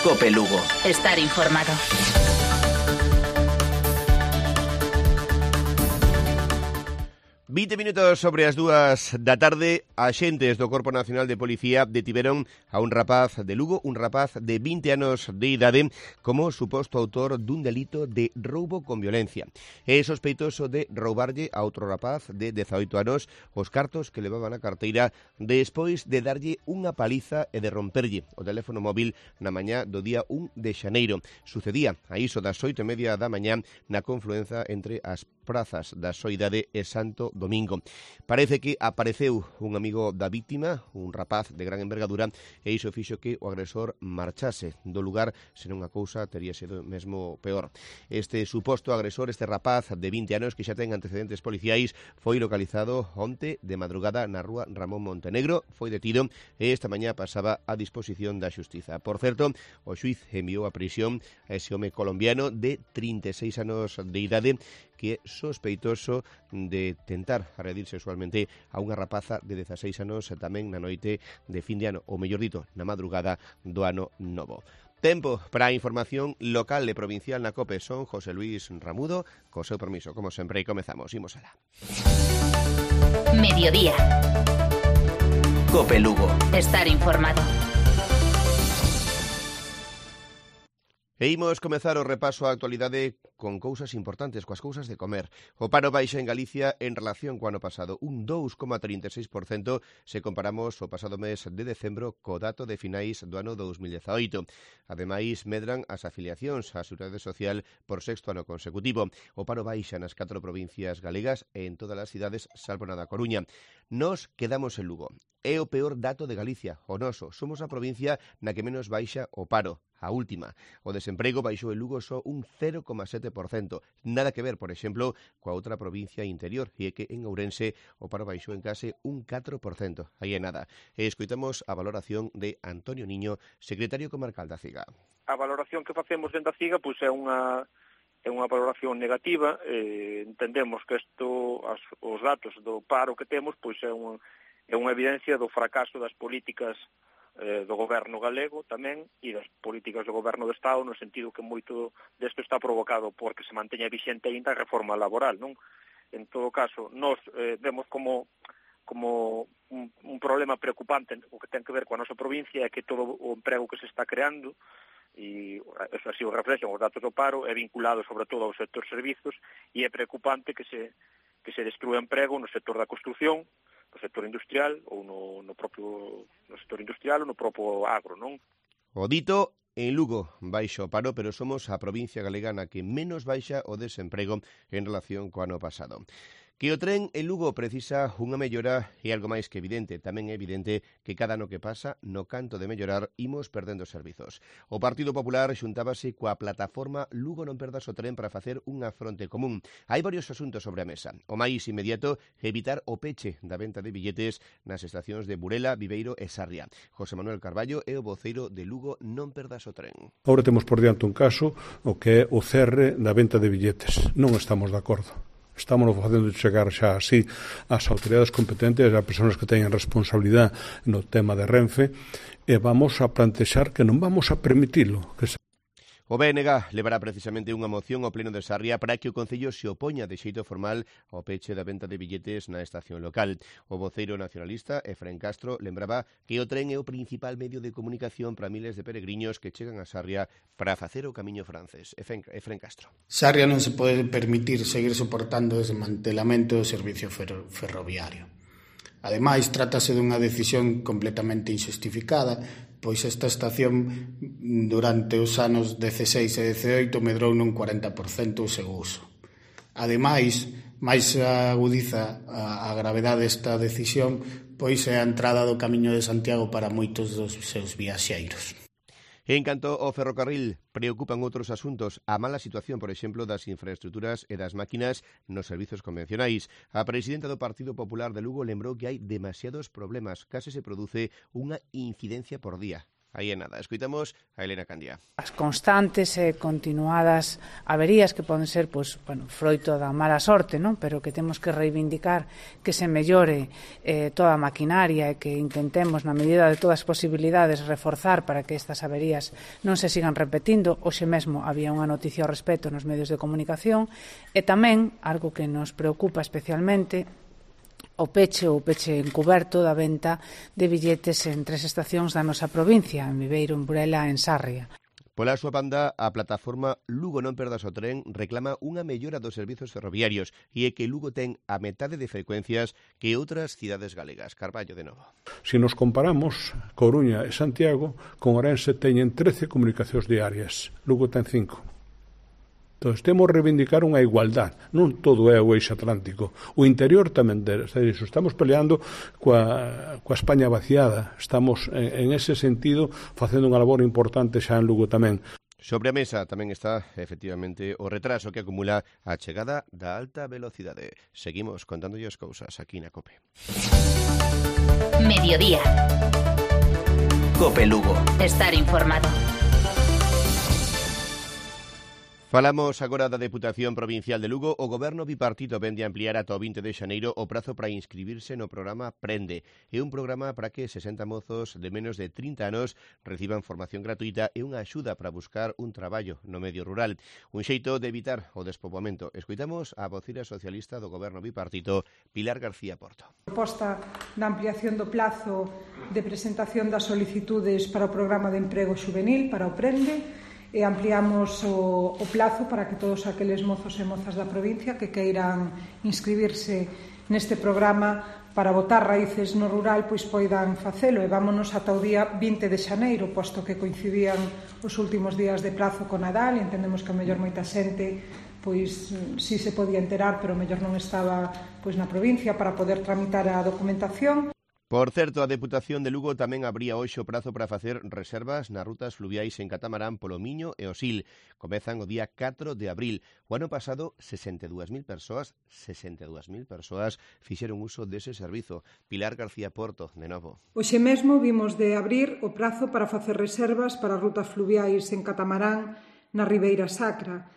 COPE Lugo. Estar informado. ...20 minutos sobre as 2 da tarde, axentes do Corpo Nacional de Policía detiveron a un rapaz de Lugo, un rapaz de 20 anos de idade, como suposto autor dun delito de roubo con violencia. É sospeitoso de roubarlle a outro rapaz de 18 anos os cartos que levaban na carteira despois de darlle unha paliza e de romperlle o teléfono móvil na mañá do día 1 de xaneiro. Sucedía a iso das 8:30 da mañá na confluenza entre as prazas da Soidade e Santo Domingo. Parece que apareceu un amigo da víctima, un rapaz de gran envergadura, e iso fixo que o agresor marchase do lugar, senón a cousa tería sido mesmo peor. Este suposto agresor, este rapaz de 20 anos que xa ten antecedentes policiais, foi localizado onte de madrugada na rúa Ramón Montenegro, foi detido e esta mañá pasaba a disposición da xustiza. Por certo, o xuiz enviou a prisión a ese home colombiano de 36 anos de idade que é sospeitoso de tentar agredir sexualmente a unha rapaza de 16 anos tamén na noite de fin de ano, ou mellor dito, na madrugada do ano novo. Tempo para a información local e provincial na COPE. Son José Luis Ramudo, co seu permiso, como sempre, e comezamos. Imos alá. Mediodía. COPE Lugo. Estar informado. E imos comezar o repaso á actualidade con cousas importantes, coas cousas de comer. O paro baixa en Galicia en relación co ano pasado, un 2,36% se comparamos o pasado mes de decembro co dato de finais do ano 2018. Ademais, medran as afiliacións á Seguridade Social por sexto ano consecutivo. O paro baixa nas 4 provincias galegas e en todas as cidades, salvo na da Coruña. Nos quedamos en Lugo. É o peor dato de Galicia, o noso. Somos a provincia na que menos baixa o paro. A última. O desemprego baixou en Lugo só un 0,7%. Nada que ver, por exemplo, coa outra provincia interior, e é que en Ourense o paro baixou en case un 4%. Aí é nada. E escoitamos a valoración de Antonio Niño, secretario comarcal da CIGA. A valoración que facemos dentro da CIGA pois é unha valoración negativa. Entendemos que os datos do paro que temos pois é unha evidencia do fracaso das políticas do goberno galego tamén e das políticas do goberno do Estado, no sentido que moito desto está provocado porque se manteña vixente ainda a reforma laboral, non? En todo caso, nós vemos como un problema preocupante o que ten que ver coa nosa provincia é que todo o emprego que se está creando, e eso así o reflexan os datos do paro, é vinculado sobre todo ao sector servizos e é preocupante que se destrúe emprego no sector da construción, no sector industrial ou no sector industrial ou no propio agro, non? O dito, en Lugo baixa o paro, pero somos a provincia galega na que menos baixa o desemprego en relación co ano pasado. Que o tren en Lugo precisa unha mellora é algo máis que evidente. Tamén é evidente que cada ano que pasa, no canto de mellorar, imos perdendo servizos. O Partido Popular xuntábase coa plataforma Lugo non perdas o tren para facer unha fronte común. Hai varios asuntos sobre a mesa. O máis inmediato é evitar o peche da venta de billetes nas estacións de Burela, Viveiro e Sarria. José Manuel Carballo é o voceiro de Lugo non perdas o tren. Agora temos por diante un caso o que é o cerre da venta de billetes. Non estamos de acordo. Estamos facendo chegar xa así ás autoridades competentes, ás persoas que teñen responsabilidade no tema de Renfe, e vamos a plantexar que non vamos a permitilo. O BNG levará precisamente unha moción ao Pleno de Sarria para que o Concello se opoña de xeito formal ao peche da venta de billetes na estación local. O voceiro nacionalista, Efrén Castro, lembraba que o tren é o principal medio de comunicación para miles de peregriños que chegan a Sarria para facer o camiño francés. Efrén Castro. Sarria non se pode permitir seguir soportando o desmantelamento do servicio ferroviario. Ademais, trátase dunha decisión completamente injustificada, pois esta estación durante os anos 16 e 18 medrou nun 40% o seu uso. Ademais, máis agudiza a gravedade desta decisión, pois é a entrada do Camiño de Santiago para moitos dos seus viaxeiros. En canto ao ferrocarril, preocupan outros asuntos, a mala situación, por exemplo, das infraestruturas e das máquinas nos servizos convencionais. A presidenta do Partido Popular de Lugo lembrou que hai demasiados problemas, case se produce unha incidencia por día. aí é nada. Escoitamos a Elena Candia. As constantes e continuadas averías que poden ser froito da mala sorte, non? Pero que temos que reivindicar que se mellore toda a maquinaria e que intentemos, na medida de todas as posibilidades, reforzar para que estas averías non se sigan repetindo. Hoxe mesmo había unha noticia ao respecto nos medios de comunicación e tamén, algo que nos preocupa especialmente, o peche encuberto da venta de billetes en 3 estacións da nosa provincia, en Viveiro, en Burela e en Sarria. Pola súa banda, a plataforma Lugo non perdas o tren reclama unha mellora dos servizos ferroviarios e é que Lugo ten a metade de frecuencias que outras cidades galegas. Carballo de novo. Se nos comparamos, Coruña e Santiago, con Ourense teñen 13 comunicacións diarias. Lugo ten 5. Entón, temos que reivindicar unha igualdade. Non todo é o eixo atlántico. O interior tamén iso. Estamos peleando coa España vaciada. Estamos, en ese sentido, facendo unha labor importante xa en Lugo tamén. Sobre a mesa tamén está, efectivamente, o retraso que acumula a chegada da alta velocidade. Seguimos contándolle as cousas aquí na COPE. Mediodía. COPE Lugo. Estar informado. Falamos agora da Deputación Provincial de Lugo. O Goberno bipartito vende a ampliar ata o 20 de xaneiro o prazo para inscribirse no programa Prende. É un programa para que 60 mozos de menos de 30 anos reciban formación gratuita e unha axuda para buscar un traballo no medio rural. Un xeito de evitar o despoboamento. Escoitamos a vocera socialista do Goberno bipartito, Pilar García Porto. A proposta da ampliación do plazo de presentación das solicitudes para o programa de emprego xuvenil, para o Prende, e ampliamos o plazo para que todos aqueles mozos e mozas da provincia que queiran inscribirse neste programa para botar raíces no rural, pois poidan facelo, e vámonos ata o día 20 de xaneiro, posto que coincidían os últimos días de plazo con Nadal, e entendemos que a mellor moita xente pois si se podía enterar, pero mellor non estaba pois na provincia para poder tramitar a documentación. Por certo, a Deputación de Lugo tamén abría hoxe o prazo para facer reservas nas rutas fluviais en catamarán polo Miño e o Sil. Comezan o día 4 de abril. O ano pasado, 62.000 persoas fixeron uso dese servizo. Pilar García Porto, de novo. Hoxe mesmo vimos de abrir o prazo para facer reservas para rutas fluviais en catamarán na Ribeira Sacra.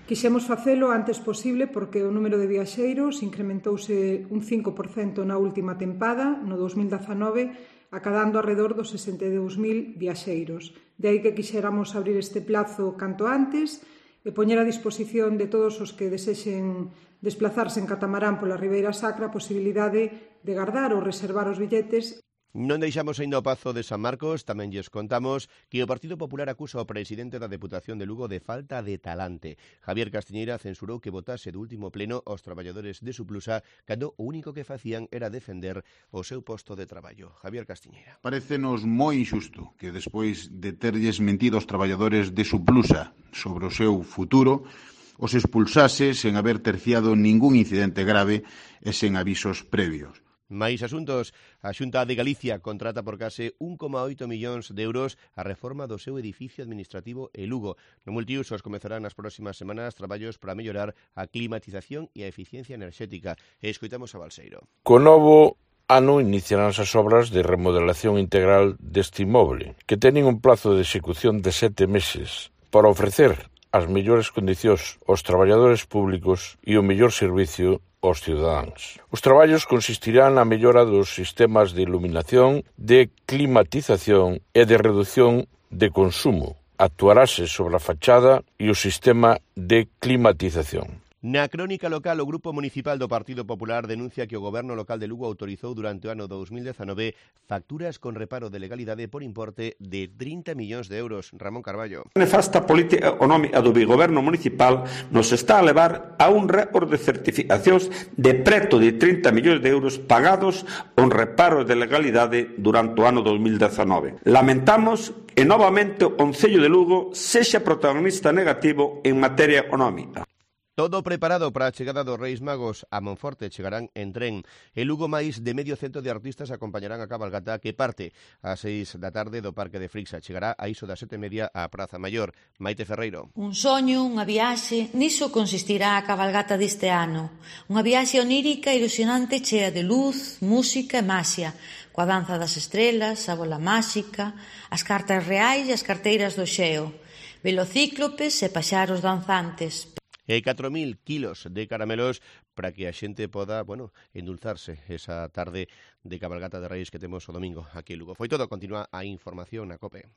Quixemos facelo antes posible porque o número de viaxeiros incrementouse un 5% na última tempada, no 2019, acadando alrededor dos 62.000 viaxeiros. De aí que quixéramos abrir este plazo canto antes e poñer a disposición de todos os que desexen desplazarse en catamarán pola Ribeira Sacra a posibilidade de gardar ou reservar os billetes. Non deixamos aínda o Pazo de San Marcos, tamén lles contamos que o Partido Popular acusa ao presidente da Deputación de Lugo de falta de talante. Javier Castiñeira censurou que votase do último pleno aos traballadores de Suplusa cando o único que facían era defender o seu posto de traballo. Javier Castiñeira. Parécenos moi injusto que despois de terlles mentido aos traballadores de Suplusa sobre o seu futuro, os expulsase sen haber terciado ningún incidente grave e sen avisos previos. Máis asuntos. A Xunta de Galicia contrata por case 1,8 millóns de euros a reforma do seu edificio administrativo en Lugo. No multiusos comezarán nas próximas semanas traballos para mellorar a climatización e a eficiencia enerxética. E escoitamos a Balseiro. Co novo ano iniciaránse as obras de remodelación integral deste inmoble, que teñen un plazo de execución de 7 meses para ofrecer as mellores condicións aos traballadores públicos e o mellor servicio aos cidadáns. Os traballos consistirán na mellora dos sistemas de iluminación, de climatización e de reducción de consumo. Actuarase sobre a fachada e o sistema de climatización. Na crónica local, o Grupo Municipal do Partido Popular denuncia que o Goberno local de Lugo autorizou durante o ano 2019 facturas con reparo de legalidade por importe de 30 millóns de euros. Ramón Carballo. A nefasta política económica do Bigoberno Municipal nos está a levar a un récord de certificacións de preto de 30 millóns de euros pagados con reparo de legalidade durante o ano 2019. Lamentamos que novamente o Concello de Lugo sexa protagonista negativo en materia económica. Todo preparado para a chegada dos Reis Magos a Monforte. Chegarán en tren. En Lugo máis de medio cento de artistas acompañarán a cabalgata que parte ás 6 da tarde do Parque de Frixa. Chegará a iso das 7:30 á Praza Maior. Maite Ferreiro. Un soño, unha viaxe, niso consistirá a cabalgata deste ano. Unha viaxe onírica e ilusionante chea de luz, música e maxia, coa danza das estrelas, a bola máxica, as cartas reais e as carteiras do xeo, velocíclopes e paxaros danzantes. E 4.000 kilos de caramelos para que a xente poda, endulzarse esa tarde de cabalgata de Reis que temos o domingo aquí en Lugo. Foi todo, continúa a información na COPE.